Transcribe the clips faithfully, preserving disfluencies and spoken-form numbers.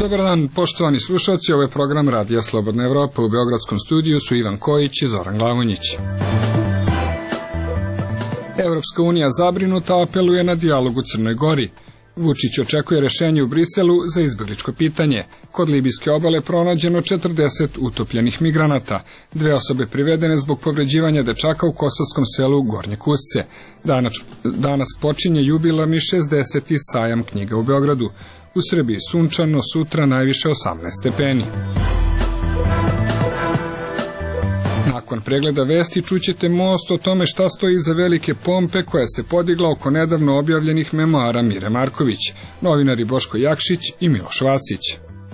Dobar dan, poštovani slušalci, ovo je program Radija Slobodna Evropa. U beogradskom studiju su Ivan Kojić i Zoran Glavonjić. Evropska unija zabrinuta apeluje na dijalog u Crnoj Gori. Vučić očekuje rešenje u Briselu za izbegličko pitanje. Kod libijske obale pronađeno četrdeset utopljenih migranata. Dve osobe privedene zbog povređivanja dečaka u kosovskom selu Gornje Kusce. Danas, danas počinje jubilarni šezdeseti sajam knjiga u Beogradu. U Srbiji sunčano, sutra najviše osamnaest stepeni. Nakon pregleda vesti čućete most o tome šta stoji iza velike pompe koja se podigla oko nedavno objavljenih memoara Mire Marković, novinari Boško Jakšić i Miloš Vasić.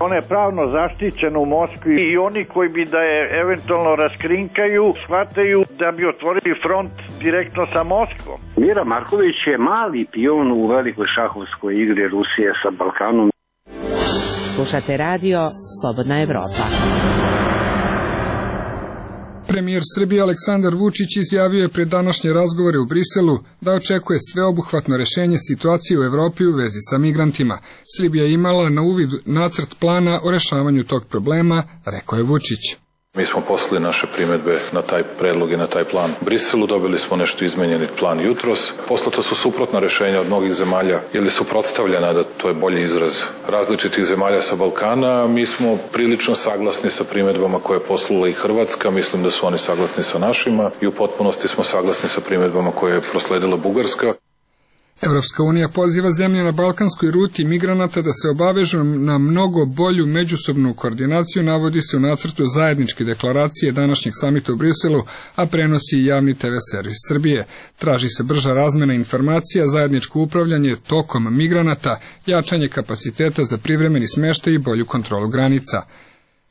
Ona je pravno zaštićena u Moskvi i oni koji bi da je eventualno raskrinkaju, shvataju da bi otvorili front direktno sa Moskvom. Mira Marković je mali pion u velikoj šahovskoj igri Rusije sa Balkanom. Slušate radio Slobodna Evropa. Premijer Srbije Aleksandar Vučić izjavio je pred današnje razgovore u Briselu da očekuje sveobuhvatno rešenje situacije u Evropi u vezi sa migrantima. Srbija je imala na uvid nacrt plana o rešavanju tog problema, rekao je Vučić. Mi smo poslali naše primedbe na taj predlog i na taj plan u Briselu, dobili smo nešto izmenjeni plan jutros. Poslata su suprotna rešenja od mnogih zemalja, ili su suprotstavljena, da to je bolji izraz, različitih zemalja sa Balkana. Mi smo prilično saglasni sa primedbama koje je poslala i Hrvatska, mislim da su oni saglasni sa našima i u potpunosti smo saglasni sa primedbama koje je prosledila Bugarska. Evropska unija poziva zemlje na balkanskoj ruti migranata da se obavežu na mnogo bolju međusobnu koordinaciju, navodi se u nacrtu zajedničke deklaracije današnjeg samita u Briselu, a prenosi i javni te ve servis Srbije. Traži se brža razmena informacija, zajedničko upravljanje tokom migranata, jačanje kapaciteta za privremeni smeštaj i bolju kontrolu granica.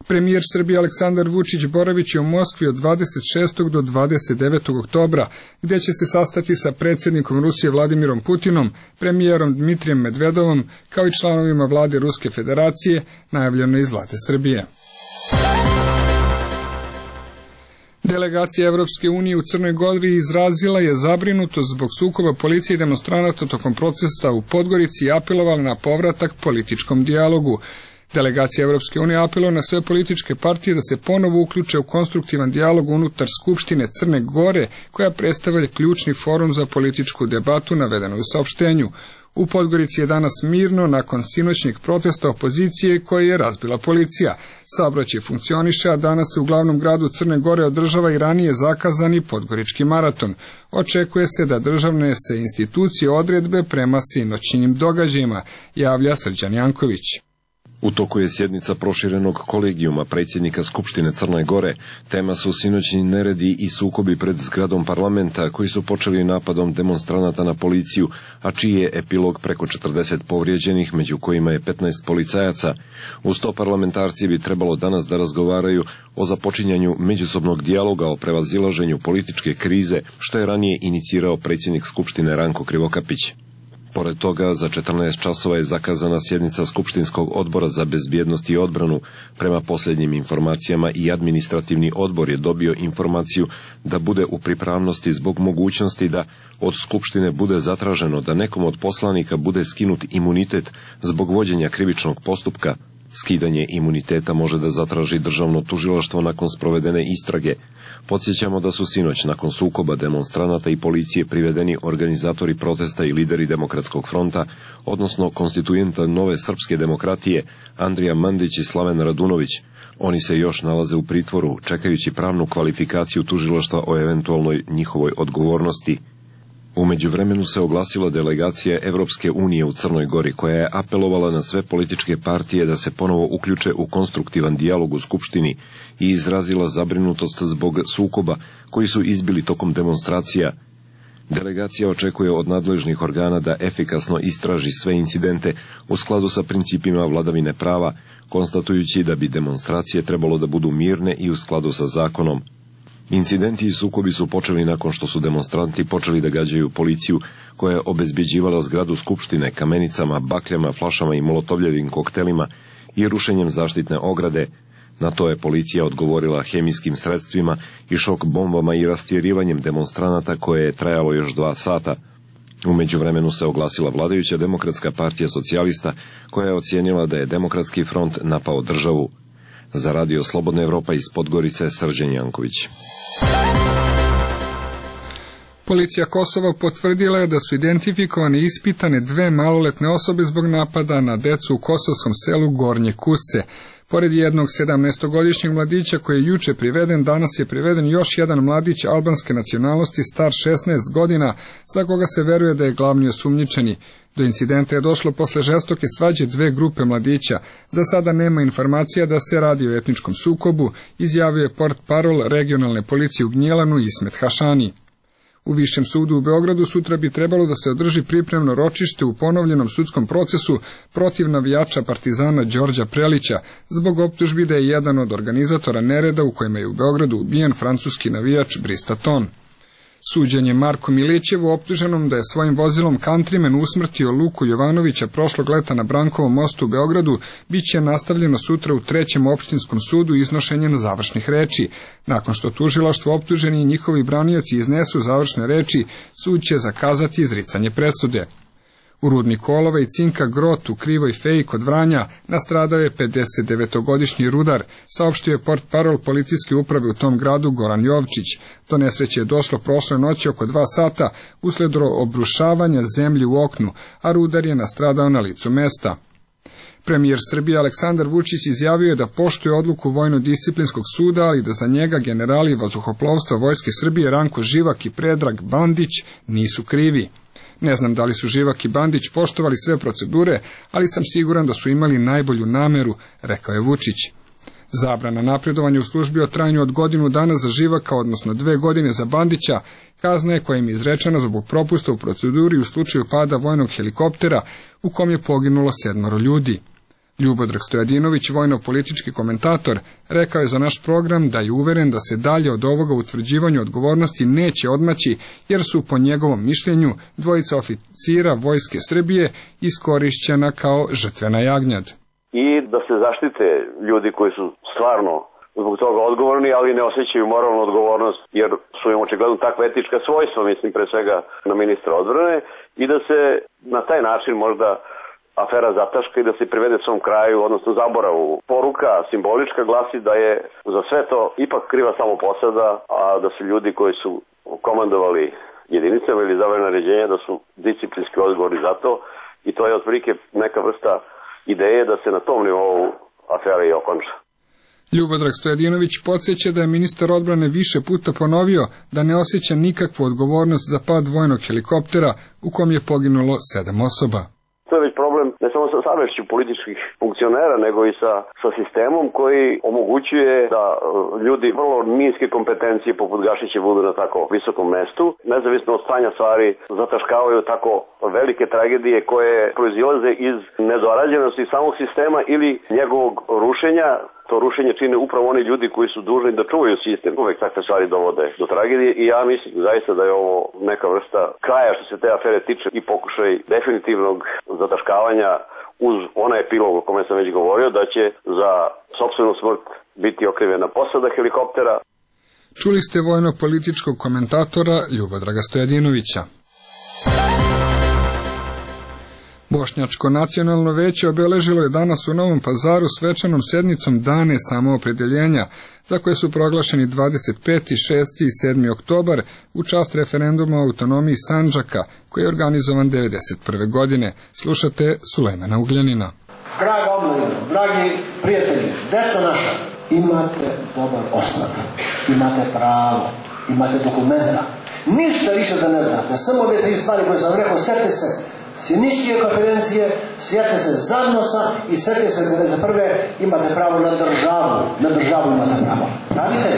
Premijer Srbije Aleksandar Vučić boraviće u Moskvi od dvadeset šestog do dvadeset devetog oktobra, gdje će se sastati sa predsjednikom Rusije Vladimirom Putinom, premijerom Dmitrijem Medvedovom, kao i članovima vlade Ruske federacije, najavljeno iz vlade Srbije. Delegacija Evropske unije u Crnoj Gori izrazila je zabrinutost zbog sukoba policije i demonstranata tokom protesta u Podgorici i apelovala na povratak političkom dijalogu. Delegacija Evropske unije apeluje na sve političke partije da se ponovo uključe u konstruktivan dijalog unutar Skupštine Crne Gore, koja predstavlja ključni forum za političku debatu, navedeno u saopštenju. U Podgorici je danas mirno nakon sinoćnih protesta opozicije koje je razbila policija. Saobraćaj funkcioniše, a danas se u glavnom gradu Crne Gore održava i ranije zakazani Podgorički maraton. Očekuje se da državne se institucije odredbe prema sinoćnim događajima, javlja Srđan Janković. U toku je sjednica proširenog kolegijuma predsjednika Skupštine Crne Gore. Tema su sinoćni neredi i sukobi pred zgradom parlamenta koji su počeli napadom demonstranata na policiju, a čiji je epilog preko četrdeset povrijeđenih, među kojima je petnaest policajaca. Uz to parlamentarci bi trebalo danas da razgovaraju o započinjanju međusobnog dijaloga o prevazilaženju političke krize, što je ranije inicirao predsjednik Skupštine Ranko Krivokapić. Pored toga, za četrnaest časova je zakazana sjednica Skupštinskog odbora za bezbjednost i odbranu. Prema posljednjim informacijama i administrativni odbor je dobio informaciju da bude u pripravnosti zbog mogućnosti da od Skupštine bude zatraženo da nekom od poslanika bude skinut imunitet zbog vođenja krivičnog postupka. Skidanje imuniteta može da zatraži državno tužilaštvo nakon sprovedene istrage. Podsjećamo da su sinoć nakon sukoba demonstranata i policije privedeni organizatori protesta i lideri Demokratskog fronta, odnosno konstituenta Nove srpske demokratije, Andrija Mandić i Slaven Radunović. Oni se još nalaze u pritvoru, čekajući pravnu kvalifikaciju tužilaštva o eventualnoj njihovoj odgovornosti. U međuvremenu se oglasila delegacija Evropske unije u Crnoj Gori, koja je apelovala na sve političke partije da se ponovo uključe u konstruktivan dijalog u Skupštini i izrazila zabrinutost zbog sukoba koji su izbili tokom demonstracija. Delegacija očekuje od nadležnih organa da efikasno istraži sve incidente u skladu sa principima vladavine prava, konstatujući da bi demonstracije trebalo da budu mirne i u skladu sa zakonom. Incidenti i sukobi su počeli nakon što su demonstranti počeli da gađaju policiju, koja je obezbeđivala zgradu Skupštine kamenicama, bakljama, flašama i molotovljevim koktelima i rušenjem zaštitne ograde. Na to je policija odgovorila hemijskim sredstvima i šok bombama i rastjerivanjem demonstranata koje je trajalo još dva sata. U međuvremenu se oglasila vladajuća Demokratska partija socijalista koja je ocijenila da je Demokratski front napao državu. Za Radio Slobodna Evropa iz Podgorice, Srđan Janković. Policija Kosova potvrdila je da su identifikovane i ispitane dve maloletne osobe zbog napada na decu u kosovskom selu Gornje Kusce. Pored jednog sedamnaestogodišnjeg mladića koji je juče priveden, danas je priveden još jedan mladić albanske nacionalnosti star šesnaest godina, za koga se veruje da je glavni osumnjičeni. Do incidenta je došlo posle žestoke svađe dve grupe mladića. Za sada nema informacija da se radi o etničkom sukobu, izjavio je portparol regionalne policije u Gnjilanu Ismet Hašani. U Višem sudu u Beogradu sutra bi trebalo da se održi pripremno ročište u ponovljenom sudskom procesu protiv navijača Partizana Đorđa Prelića zbog optužbi da je jedan od organizatora nereda u kojima je u Beogradu ubijen francuski navijač Bristaton. Suđenje Marku Milićevu, optuženom da je svojim vozilom Countryman usmrtio Luku Jovanovića prošlog leta na Brankovom mostu u Beogradu, bit će nastavljeno sutra u trećem opštinskom sudu iznošenjem završnih reči. Nakon što tužilaštvo, optuženi i njihovi branioci iznesu završne reči, sud će zakazati izricanje presude. U rudniku olova i cinka Grot u Krivoj Feji kod Vranja nastradao je pedesetdevetogodišnji rudar, saopštio je portparol policijske uprave u tom gradu Goran Jovčić. Do nesreće je došlo prošle noći oko dva sata usled obrušavanja zemlje u oknu, a rudar je nastradao na licu mesta. Premijer Srbije Aleksandar Vučić izjavio je da poštuje odluku Vojno-disciplinskog suda, ali da za njega generali vazduhoplovstva Vojske Srbije Ranko Živak i Predrag Bandić nisu krivi. Ne znam da li su Živak i Bandić poštovali sve procedure, ali sam siguran da su imali najbolju nameru, rekao je Vučić. Zabrana napredovanja u službi o trajanju od godinu dana za Živaka, odnosno dve godine za Bandića, kazna je koja im je izrečena zbog propusta u proceduri u slučaju pada vojnog helikoptera u kom je poginulo sedmoro ljudi. Ljubodrag Stojadinović, vojno-politički komentator, rekao je za naš program da je uveren da se dalje od ovoga utvrđivanju odgovornosti neće odmaći, jer su po njegovom mišljenju dvojica oficira Vojske Srbije iskorišćena kao žrtvena jagnjad. I da se zaštite ljudi koji su stvarno zbog toga odgovorni, ali ne osjećaju moralnu odgovornost, jer su im očigledno takva etička svojstva, mislim pre svega na ministra odbrane, i da se na taj način možda afera zataška i da se privede svom kraju, odnosno zaboravu. Poruka simbolička glasi da je za sve to ipak kriva samo posada, a da su ljudi koji su komandovali jedinicama ili izdavali naređenja da su disciplinski odgovorni za to, i to je otprilike neka vrsta ideje da se na tom nivou afera i okonča. Ljubodrag Stojadinović podsjeća da je ministar odbrane više puta ponovio da ne osjeća nikakvu odgovornost za pad vojnog helikoptera u kom je poginulo sedam osoba. To je već problem ne samo sa savešću političkih funkcionera, nego i sa, sa sistemom koji omogućuje da ljudi vrlo niske kompetencije poput Gašića budu na tako visokom mestu. Nezavisno od stanja stvari zataškavaju tako velike tragedije koje proizilaze iz nedorađenosti samog sistema ili njegovog rušenja. To rušenje čine upravo oni ljudi koji su dužni da čuvaju sistem. Uvek takve stvari dovode do tragedije i ja mislim zaista da je ovo neka vrsta kraja što se te afere tiče i pokušaj definitivnog zataškavanja uz onaj epilog o kome sam već govorio, da će za sopstvenu smrt biti okrivena posada helikoptera. Čuli ste vojno-političkog komentatora Ljubodraga Stojadinovića. Bošnjačko nacionalno veće obeležilo je danas u Novom Pazaru svečanom sednicom Dane samoopredeljenja, za koje su proglašeni dvadeset peti, šesti i sedmi oktobar u čast referenduma o autonomiji Sandžaka, koji je organizovan devedeset prve. godine. Slušate Sulejmana Ugljanina. Draga omladina, dragi prijatelji, deca naša, imate dobar osnov, imate pravo, imate dokumenta. Ništa više da ne znate, samo ove tri stvari koje sam rekao, setite se Sjeničke konferencije, sjete se Zadnosa i sjete se da za prve imate pravo na državu. Na državu imate pravo. Pravite?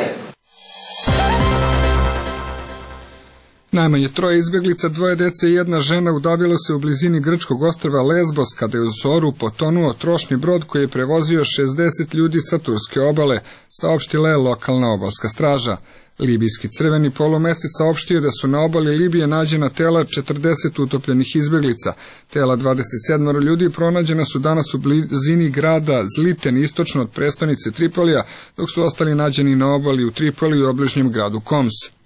Najmanje troje izbjeglica, dvoje dece i jedna žena udavilo se u blizini grčkog ostrva Lesbos kada je u zoru potonuo trošni brod koji je prevozio šezdeset ljudi sa turske obale, saopštila je lokalna obalska straža. Libijski crveni polumesec saopštio da su na obali Libije nađena tela četrdeset utopljenih izbeglica. Tela dvadeset sedam ljudi pronađena su danas u blizini grada Zliten, istočno od prestonice Tripolija, dok su ostali nađeni na obali u Tripoliju i obližnjem gradu Koms.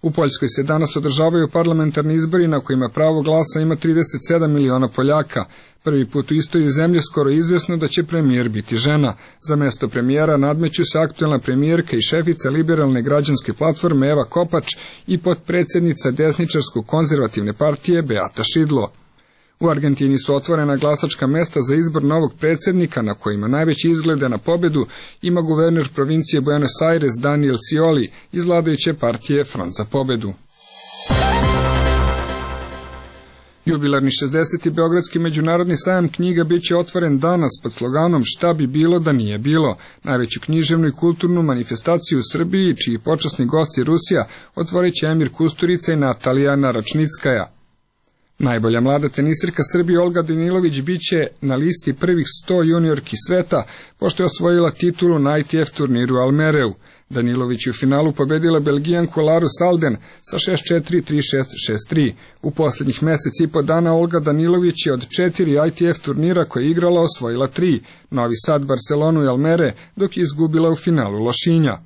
U Poljskoj se danas održavaju parlamentarni izbori na kojima pravo glasa ima trideset sedam miliona Poljaka. Prvi put u istoriji zemlje skoro je izvjesno da će premijer biti žena. Za mesto premijera nadmeću se aktuelna premijerka i šefica liberalne građanske platforme Eva Kopač i potpredsjednica desničarsko-konzervativne partije Beata Šidlo. U Argentini su otvorena glasačka mesta za izbor novog predsjednika, na kojima najveći izglede na pobedu ima guverner provincije Buenos Aires Daniel Scioli iz vladajuće partije Front za pobedu. Jubilarni šezdeseti Beogradski međunarodni sajam knjiga bit će otvoren danas pod sloganom Šta bi bilo da nije bilo. Najveću književnu i kulturnu manifestaciju u Srbiji, čiji počasni gost je Rusija, otvorit će Emir Kusturica i Natalija Naračnickaja. Najbolja mlada tenisirka Srbije Olga Danilović bit će na listi prvih sto juniorki sveta, pošto je osvojila titulu na I T F turniru Almereu. Danilović je u finalu pobedila Belgijanku Laru Salden sa šest četiri, tri šest, šest tri. U posljednjih mjesec i po dana Olga Danilović je od četiri I T F turnira koje je igrala osvojila tri, Novi Sad, Barcelonu i Almere, dok je izgubila u finalu Lošinja.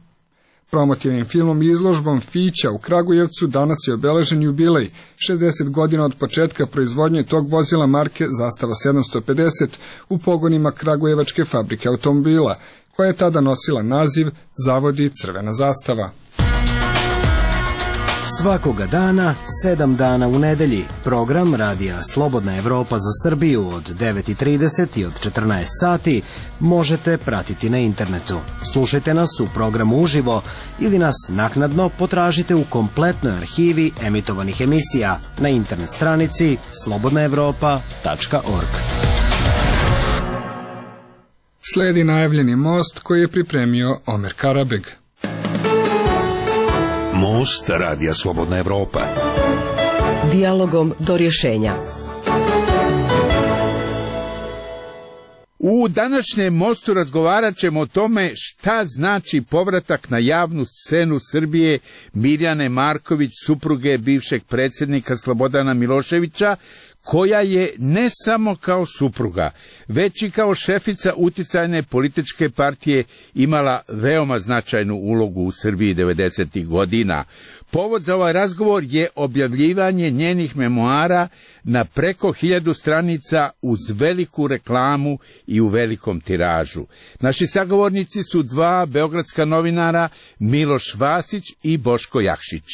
Promotivnim filmom i izložbom Fića u Kragujevcu danas je obeležen jubilej, šezdeset godina od početka proizvodnje tog vozila marke Zastava sedamsto pedeset u pogonima Kragujevačke fabrike automobila, koja je tada nosila naziv Zavodi Crvena zastava. Svakoga dana, sedam dana u nedelji, program radija Slobodna Evropa za Srbiju od devet i trideset i od četrnaest sati možete pratiti na internetu. Slušajte nas u programu uživo ili nas naknadno potražite u kompletnoj arhivi emitovanih emisija na internet stranici slobodna evropa tačka org. Sledi najavljeni most koji je pripremio Omer Karabeg. Most radija Slobodna Evropa. Dijalogom do rješenja. U današnjem mostu razgovarat ćemo o tome šta znači povratak na javnu scenu Srbije Mirjane Marković, supruge bivšeg predsjednika Slobodana Miloševića, koja je ne samo kao supruga, već i kao šefica uticajne političke partije imala veoma značajnu ulogu u Srbiji devedesetih godina. Povod za ovaj razgovor je objavljivanje njenih memoara na preko hiljadu stranica uz veliku reklamu i u velikom tiražu. Naši sagovornici su dva beogradska novinara, Miloš Vasić i Boško Jakšić.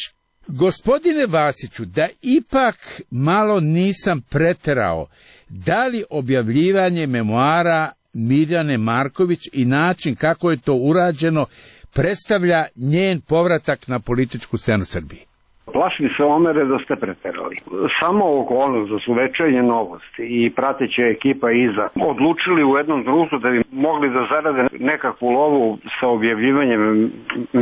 Gospodine Vasiću, da ipak malo nisam preterao, da li objavljivanje memoara Mirjane Marković i način kako je to urađeno predstavlja njen povratak na političku scenu Srbije? Plašim se, Omere, da ste preterali. Samo okolnost da su Večernje novosti i prateća ekipa iza odlučili u jednom trenutku da bi mogli da zarade nekakvu lovu sa objavljivanjem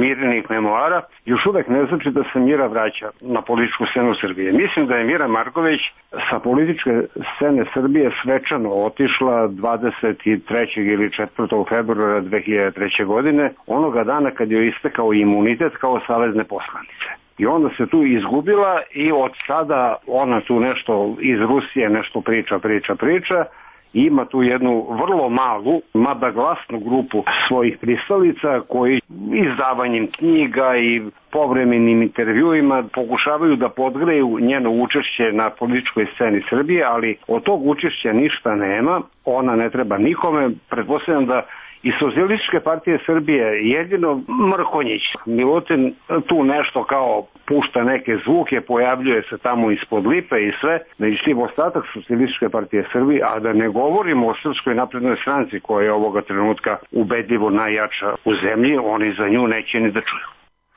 Mirjanih memoara, još uvek ne znači da se Mira vraća na političku scenu Srbije. Mislim da je Mira Marković sa političke scene Srbije svečano otišla dvadeset trećeg ili četvrtog februara dve hiljade treće. godine, onoga dana kad je istekao imunitet kao savezne poslanice. I onda se tu izgubila i od sada ona tu nešto iz Rusije nešto priča, priča, priča. I ima tu jednu vrlo malu, mada glasnu grupu svojih pristalica koji izdavanjem knjiga i povremenim intervjuima pokušavaju da podgreju njeno učešće na političkoj sceni Srbije, ali od tog učešća ništa nema, ona ne treba nikome. Pretpostavljam da i Socijalističke partije Srbije jedino Mrkonjić. Milutin tu nešto kao pušta neke zvuke, pojavljuje se tamo ispod lipe i sve, međutim ostatak Socijalističke partije Srbije, a da ne govorimo o Srpskoj naprednoj stranci koja je ovoga trenutka ubedljivo najjača u zemlji, oni za nju neće ni da čuju.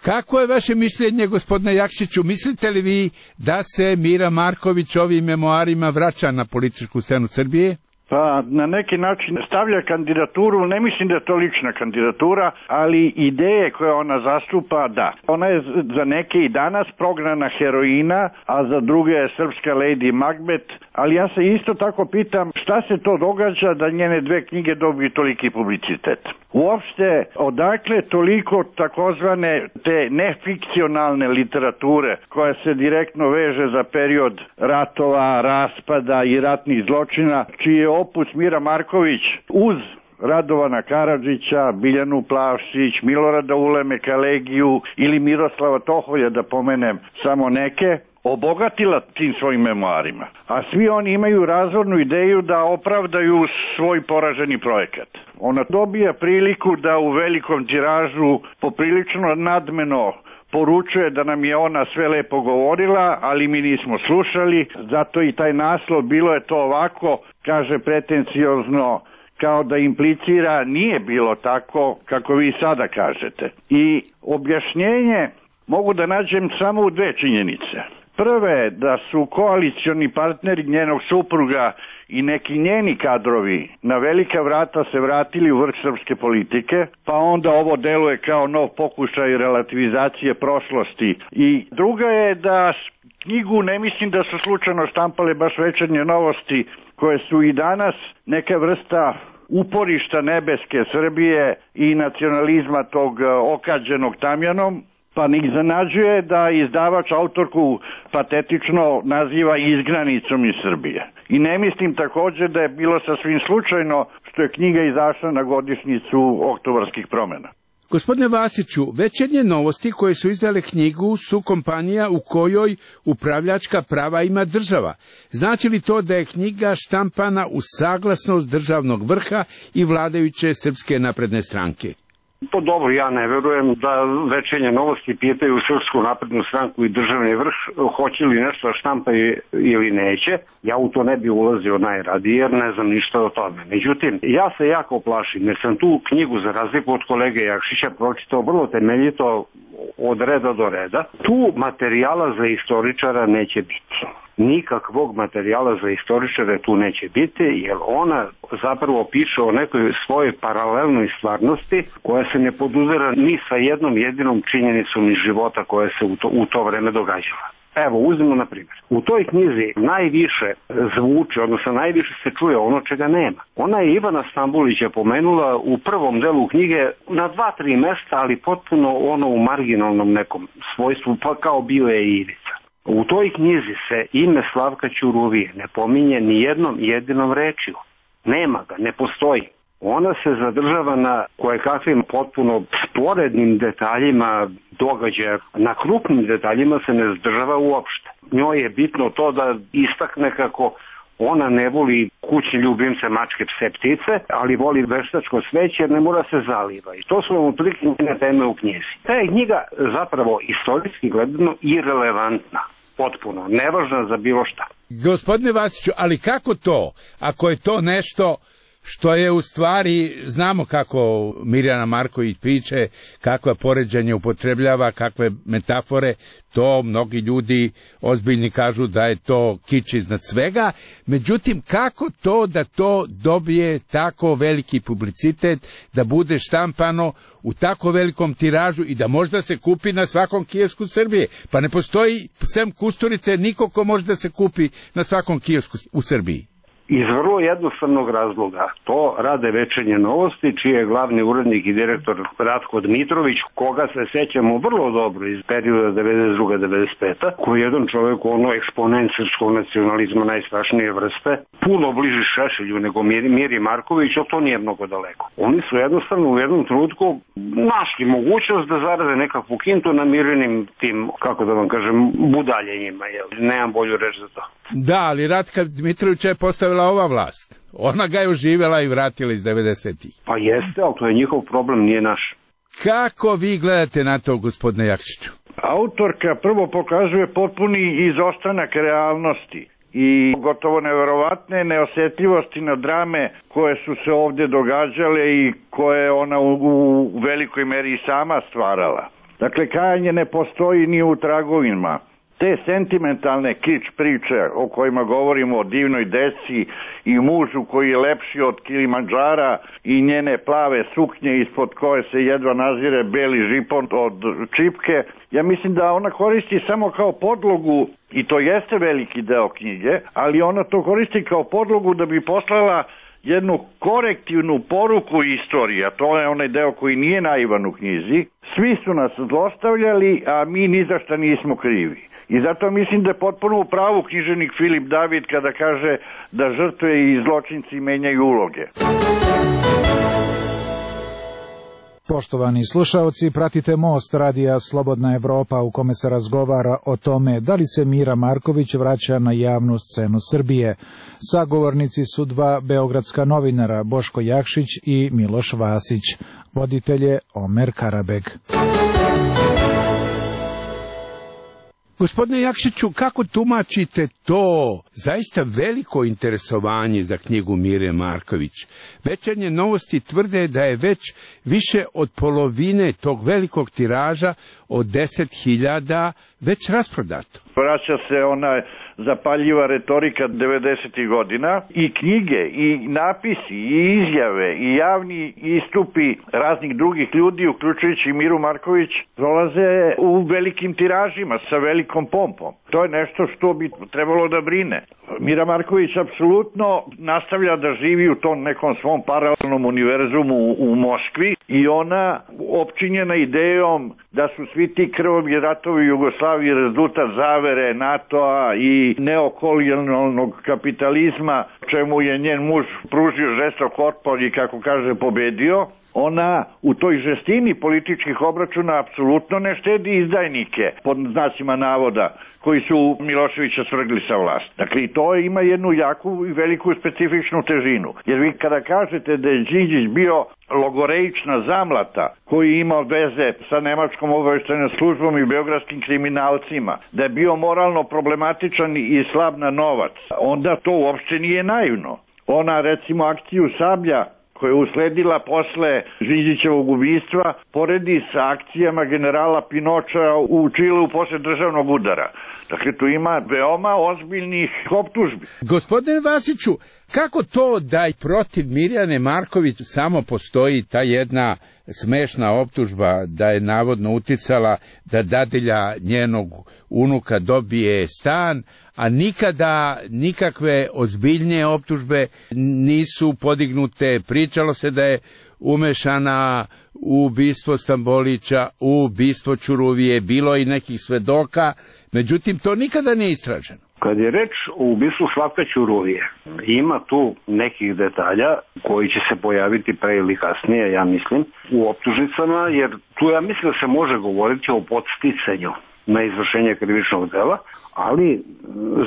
Kako je vaše mišljenje, gospodine Jakšiću? Mislite li vi da se Mira Marković ovim memoarima vraća na političku scenu Srbije? Pa na neki način stavlja kandidaturu, ne mislim da je to lična kandidatura, ali ideje koje ona zastupa, da. Ona je za neke i danas prognana heroina, a za druge je srpska Lady Macbeth, ali ja se isto tako pitam šta se to događa da njene dve knjige dobiju toliki publicitet. Uopšte, odakle toliko takozvane te nefikcionalne literature koja se direktno veže za period ratova, raspada i ratnih zločina, čiji je opus Mira Marković uz Radovana Karadžića, Biljanu Plavšić, Milorada Ulemeka Kalegiju ili Miroslava Toholja, da pomenem samo neke, obogatila tim svojim memoarima. A svi oni imaju razvornu ideju da opravdaju svoj poraženi projekat. Ona dobija priliku da u velikom tiražu poprilično nadmeno poručuje da nam je ona sve lepo govorila, ali mi nismo slušali, zato i taj naslov bilo je to ovako, kaže pretenciozno, kao da implicira nije bilo tako kako vi sada kažete. I objašnjenje mogu da nađem samo u dve činjenice. Prve, da su koalicioni partneri njenog supruga i neki njeni kadrovi na velika vrata se vratili u vrh srpske politike, pa onda ovo deluje kao nov pokušaj relativizacije prošlosti. I druga je da knjigu ne mislim da su slučajno štampale baš Večernje novosti, koje su i danas neka vrsta uporišta nebeske Srbije i nacionalizma tog okađenog tamjanom, pa ih zanađuje da izdavač autorku patetično naziva izgranicom iz Srbije. I ne mislim također da je bilo sasvim slučajno što je knjiga izašla na godišnjicu oktobarskih promjena. Gospodine Vasiću, Večernje novosti koje su izdale knjigu su kompanija u kojoj upravljačka prava ima država. Znači li to da je knjiga štampana uz saglasnost državnog vrha i vladajuće Srpske napredne stranke? To dobro, ja ne verujem da Večernje novosti pitaju Srpsku naprednu stranku i državni vrh hoće li nešto štampaju ili neće. Ja u to ne bi ulazio najradije jer ne znam ništa o tome. Međutim, ja se jako plašim jer sam tu knjigu za razliku od kolege Jakšića pročitao vrlo temeljito od reda do reda. Tu materijala za istoričara neće biti. Nikakvog materijala za istoričare tu neće biti, jer ona zapravo piše o nekoj svojoj paralelnoj stvarnosti koja se ne poduzera ni sa jednom jedinom činjenicom iz života koja se u to, u to vreme događala. Evo, uzmimo na primjer. U toj knjizi najviše zvuči, odnosno najviše se čuje ono čega nema. Ona je Ivana Stambulića pomenula u prvom delu knjige na dva, tri mesta, ali potpuno ono u marginalnom nekom svojstvu, pa kao bio je i Ivica. U toj knjizi se ime Slavka Ćuruvije ne pominje ni jednom jedinom rečju. Nema ga, ne postoji. Ona se zadržava na kojekakvim potpuno sporednim detaljima događaja. Na krupnim detaljima se ne zadržava uopšte. Njoj je bitno to da istakne kako ona ne voli kućni ljubimce, mačke, pse, ptice, ali voli veštačko sveće jer ne mora se zaliva. I to su vam otprilike njene teme u knjizi. Ta je knjiga zapravo istorijski gledano irelevantna. Potpuno, nevažna za bilo šta. Gospodine Vasiću, ali kako to, ako je to nešto što je u stvari, znamo kako Mirjana Marković piše, kakva poređenja upotrebljava, kakve metafore, to mnogi ljudi ozbiljni kažu da je to kič iznad svega, međutim kako to da to dobije tako veliki publicitet, da bude štampano u tako velikom tiražu i da možda se kupi na svakom kiosku Srbije? Pa ne postoji, sem Kusturice, niko ko može da se kupi na svakom kiosku u Srbiji. Iz vrlo jednostavnog razloga. To rade Večernje novosti, čiji je glavni urednik i direktor Ratko Dmitrović, koga se sećamo vrlo dobro iz perioda devedeset druga do devedeset peta, koji je jedan čovjek ono eksponent srpskog nacionalizma najstrašnije vrste, puno bliži Šešelju nego Miri, Miri Marković, ali to nije mnogo daleko. Oni su jednostavno u jednom trenutku našli mogućnost da zarade nekakvu kintu na Mirinim tim, kako da vam kažem, budaljenjima. Jel? Nemam bolju reč za to. Da, ali Ratka Dmitrovića je postavila ova vlast. Ona ga je oživjela i vratila iz devedesetih. Pa jeste, ali to je njihov problem, nije naš. Kako vi gledate na to, gospodine Jakšiću? Autorka prvo pokazuje potpuni izostanak realnosti i gotovo neverovatne neosjetljivosti na drame koje su se ovdje događale i koje ona u, u velikoj meri sama stvarala. Dakle, kajanje ne postoji ni u tragovima. Te sentimentalne kič priče o kojima govorimo, o divnoj deci i mužu koji je lepši od Kilimandžara i njene plave suknje ispod koje se jedva nazire beli žipon od čipke, ja mislim da ona koristi samo kao podlogu, i to jeste veliki deo knjige, ali ona to koristi kao podlogu da bi poslala jednu korektivnu poruku istorije, a to je onaj deo koji nije naivan u knjizi. Svi su nas zlostavljali, a mi ni za šta nismo krivi. I zato mislim da je potpuno u pravu književnik Filip David kada kaže da žrtve i zločinci menjaju uloge. Poštovani slušaoci, pratite Most radija Slobodna Evropa u kome se razgovara o tome da li se Mira Marković vraća na javnu scenu Srbije. Sagovornici su dva beogradska novinara, Boško Jakšić i Miloš Vasić. Voditelj je Omer Karabeg. Gospodine Jakšiću, kako tumačite to zaista veliko interesovanje za knjigu Mire Marković? Večernje novosti tvrde da je već više od polovine tog velikog tiraža od deset hiljada već rasprodato. Vraća se ona zapaljiva retorika devedesetih godina i knjige, i napisi, i izjave, i javni istupi raznih drugih ljudi, uključujući Miru Marković, prolaze u velikim tiražima sa velikom pompom. To je nešto što bi trebalo da brine. Mira Marković apsolutno nastavlja da živi u tom nekom svom paralelnom univerzumu u, u Moskvi i ona opčinjena idejom da su svi ti krvavi ratovi Jugoslavije rezultat zavere NATO-a i neokolonijalnog kapitalizma, čemu je njen muž pružio žestok otpor i, kako kaže, pobedio. Ona u toj žestini političkih obračuna apsolutno ne štedi izdajnike, pod znacima navoda, koji su Miloševića svrgli sa vlast. Dakle, to ima jednu jaku i veliku specifičnu težinu. Jer vi kada kažete da je Đinđić bio logoreična zamlata koji ima veze sa nemačkom obaveštajnom službom i beogradskim kriminalcima, da je bio moralno problematičan i slab na novac, onda to uopšte nije naivno. Ona, recimo, akciju Sablja, koja je usledila posle Đinđićevog ubistva, poredi sa akcijama generala Pinoča u Čileu posle državnog udara. Dakle, tu ima veoma ozbiljnih optužbi. Gospodine Vasiću, kako to da i protiv Mirjane Marković samo postoji ta jedna smešna optužba da je navodno uticala da dadilja njenog unuka dobije stan, a nikada nikakve ozbiljnije optužbe nisu podignute? Pričalo se da je umešana u ubistvo Stambolića, u ubistvo Ćuruvije, bilo i nekih svedoka, međutim to nikada nije istraženo. Kad je reč o ubistvu Slavka Ćuruvije, ima tu nekih detalja koji će se pojaviti pre ili kasnije, ja mislim, u optužnicama, jer tu ja mislim da se može govoriti o podsticanju na izvršenje krivičnog dela, ali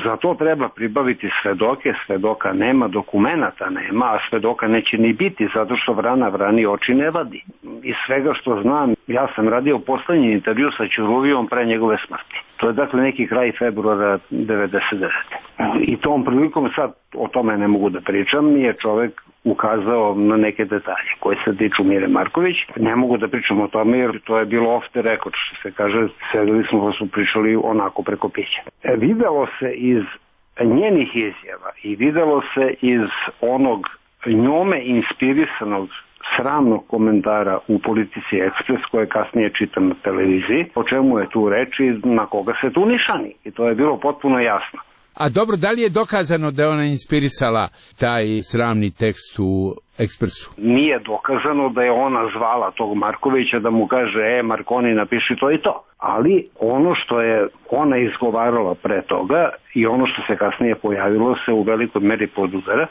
za to treba pribaviti svedoke, svedoka nema, dokumenata nema, a svedoka neće ni biti, zato što vrana vrani oči ne vadi. Iz svega što znam, ja sam radio poslednji intervju sa Ćuruvijom pre njegove smrti. To je dakle neki kraj februara devedeset devete. I tom prilikom, sad o tome ne mogu da pričam, je čovek ukazao na neke detalje koje se tiču Mire Marković. Ne mogu da pričam o tome jer to je bilo off the record, što se kaže, sedeli smo pa su pričali onako preko pića. E, videlo se iz njenih izjava i videlo se iz onog njome inspirisanog sramnog komentara u Politici Ekspres, koje kasnije čitam na televiziji, o čemu je tu reč i na koga se tu nišani. I to je bilo potpuno jasno. A dobro, da li je dokazano da je ona inspirisala taj sramni tekst u Ekspresu? Nije dokazano da je ona zvala tog Markovića da mu kaže, e, Markoni, napiši to i to. Ali ono što je ona izgovarala pre toga i ono što se kasnije pojavilo se u velikoj meri podudara,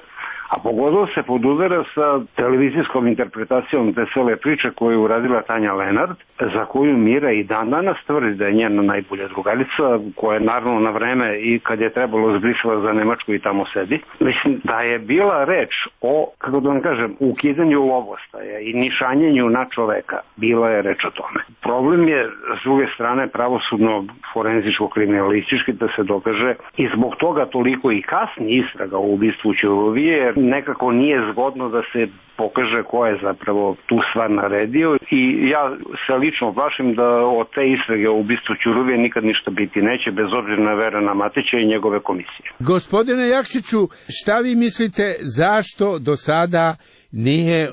a pogotovo se podudara sa televizijskom interpretacijom te cele priče koju je uradila Tanja Lenard, za koju Mira i dan danas tvrdi da je njena najbolja drugarica, koja je naravno na vreme i kad je trebalo zbrisala za Nemačku i tamo sedi. Mislim da je bila reč o, kako da vam kažem, ukidanju lovostaja i nišanjenju na čoveka. Bila je reč o tome. Problem je, s druge strane, pravosudno forenzičko-kriminalistički da se dokaže i zbog toga toliko i kasni istraga u ubistvu Ćuruvije, jer nekako nije zgodno da se pokaže ko je zapravo tu stvar naredio i ja se lično plašim da od te istrage u ubistvu Ćuruvije nikad ništa biti neće, bez obzira na Verana Matića i njegove komisije. Gospodine Jakšiću, šta vi mislite zašto do sada nije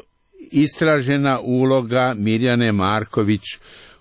istražena uloga Mirjane Marković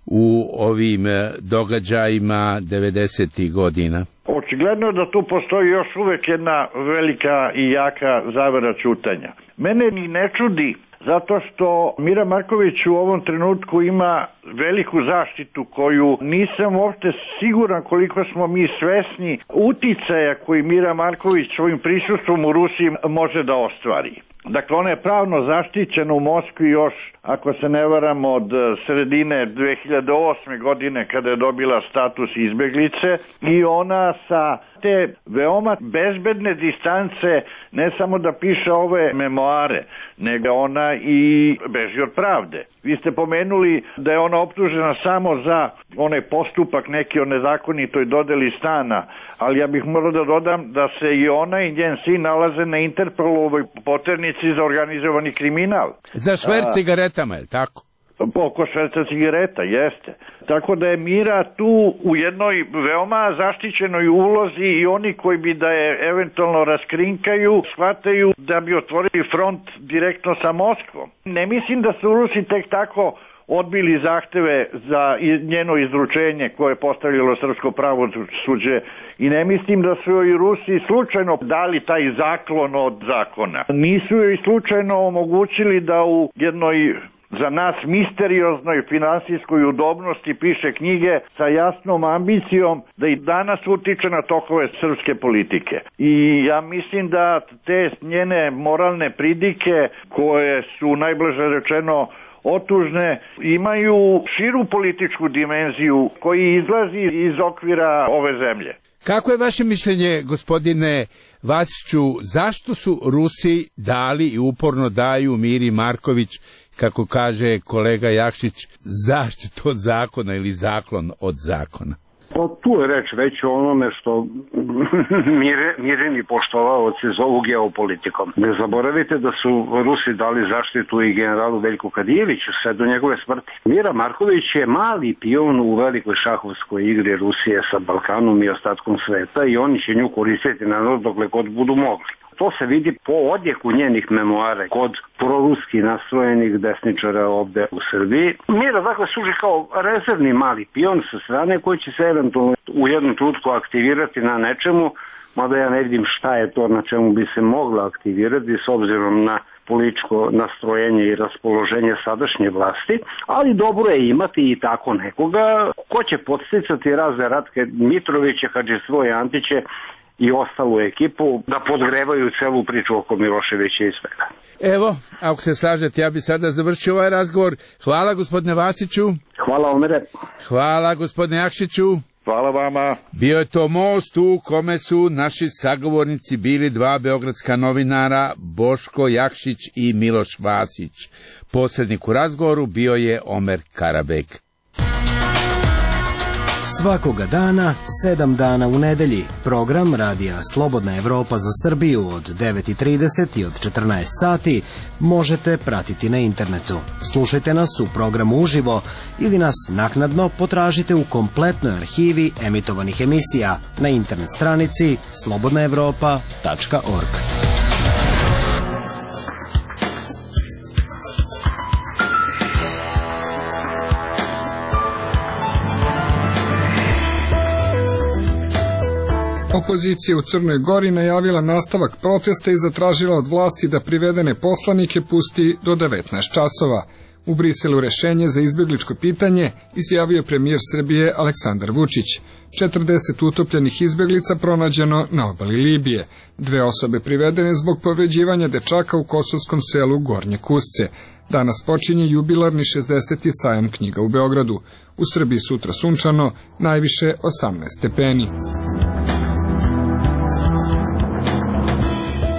u ovim događajima devedesetih godina? Očigledno je da tu postoji još uvek jedna velika i jaka zavera ćutanja. Mene ni ne čudi, zato što Mira Marković u ovom trenutku ima veliku zaštitu koju nisam uopšte siguran koliko smo mi svesni uticaja koji Mira Marković svojim prisustvom u Rusiji može da ostvari. Dakle, ona je pravno zaštićena u Moskvi još, ako se ne varam, od sredine dve hiljade osme godine kada je dobila status izbeglice i ona sa te veoma bezbedne distance ne samo da piše ove memoare, nego ona i beži od pravde. Vi ste pomenuli da je ona optužena samo za onaj postupak neki o nezakonitoj dodeli stana, ali ja bih morao da dodam da se i ona i njen sin nalaze na Interpolovoj poternici za organizovani kriminal. Za šverc cigaretama, je tako? Oko šverca cigareta, jeste. Tako da je Mira tu u jednoj veoma zaštićenoj ulozi i oni koji bi da je eventualno raskrinkaju, shvataju da bi otvorili front direktno sa Moskvom. Ne mislim da su Rusi tek tako odbili zahteve za njeno izručenje koje je postavilo srpsko pravosuđe i ne mislim da su joj Rusi slučajno dali taj zaklon od zakona. Nisu joj slučajno omogućili da u jednoj za nas misterioznoj finansijskoj udobnosti piše knjige sa jasnom ambicijom da i danas utiče na tokove srpske politike. I ja mislim da te njene moralne pridike koje su najbliže rečeno otužne, imaju širu političku dimenziju koji izlazi iz okvira ove zemlje. Kako je vaše mišljenje, gospodine Vasiću, zašto su Rusi dali i uporno daju Miri Marković, kako kaže kolega Jakšić, zaštitu od zakona ili zaklon od zakona? Pa tu je reč već o onome što mire, mireni poštovaoci zovu geopolitikom. Ne zaboravite da su Rusi dali zaštitu i generalu Veljku Kadijeviću sve do njegove smrti. Mira Marković je mali pion u velikoj šahovskoj igri Rusije sa Balkanom i ostatkom sveta i oni će nju koristiti na dokle god budu mogli. To se vidi po odjeku njenih memoara kod proruski nastrojenih desničara ovde u Srbiji. Mira dakle služi kao rezervni mali pion sa strane koji će se eventualno u jednom trenutku aktivirati na nečemu, mada ja ne vidim šta je to na čemu bi se mogla aktivirati s obzirom na političko nastrojenje i raspoloženje sadašnje vlasti, ali dobro je imati i tako nekoga ko će podsticati razne Ratke Mitroviće, Hadžisvoje Antiće i ostalu ekipu da podgrevaju celu priču oko Miloševića i svega. Evo, ako se slažete, ja bi sada završio ovaj razgovor. Hvala gospodine Vasiću. Hvala Omere. Hvala gospodine Jakšiću. Hvala vama. Bio je to most u kome su naši sagovornici bili dva beogradska novinara, Boško Jakšić i Miloš Vasić. Posrednik u razgovoru bio je Omer Karabek. Svakoga dana, sedam dana u nedelji, program Radija Slobodna Evropa za Srbiju od devet i trideset i od četrnaest sati možete pratiti na internetu. Slušajte nas u programu uživo ili nas naknadno potražite u kompletnoj arhivi emitovanih emisija na internet stranici slobodna evropa tačka org. Opozicija u Crnoj Gori najavila nastavak protesta i zatražila od vlasti da privedene poslanike pusti do devetnaest časova. U Briselu rešenje za izbegličko pitanje izjavio premijer Srbije Aleksandar Vučić. četrdeset utopljenih izbeglica pronađeno na obali Libije. Dve osobe privedene zbog povređivanja dečaka u kosovskom selu Gornje Kusce. Danas počinje jubilarni šezdeseti sajam knjiga u Beogradu. U Srbiji sutra sunčano, najviše osamnaest stepeni.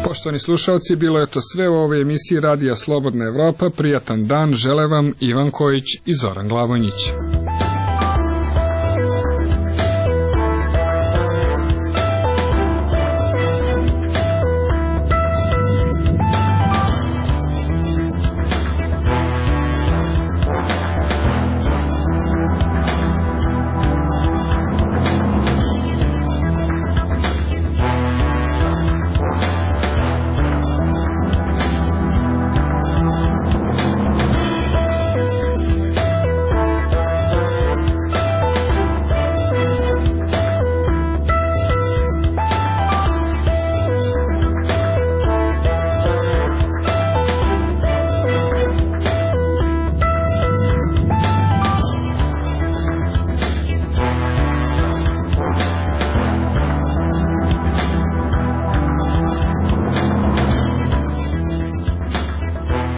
Poštovani slušalci, bilo je to sve u ovoj emisiji Radija Slobodna Evropa. Prijatan dan žele vam Ivan Kojić i Zoran Glavonjić.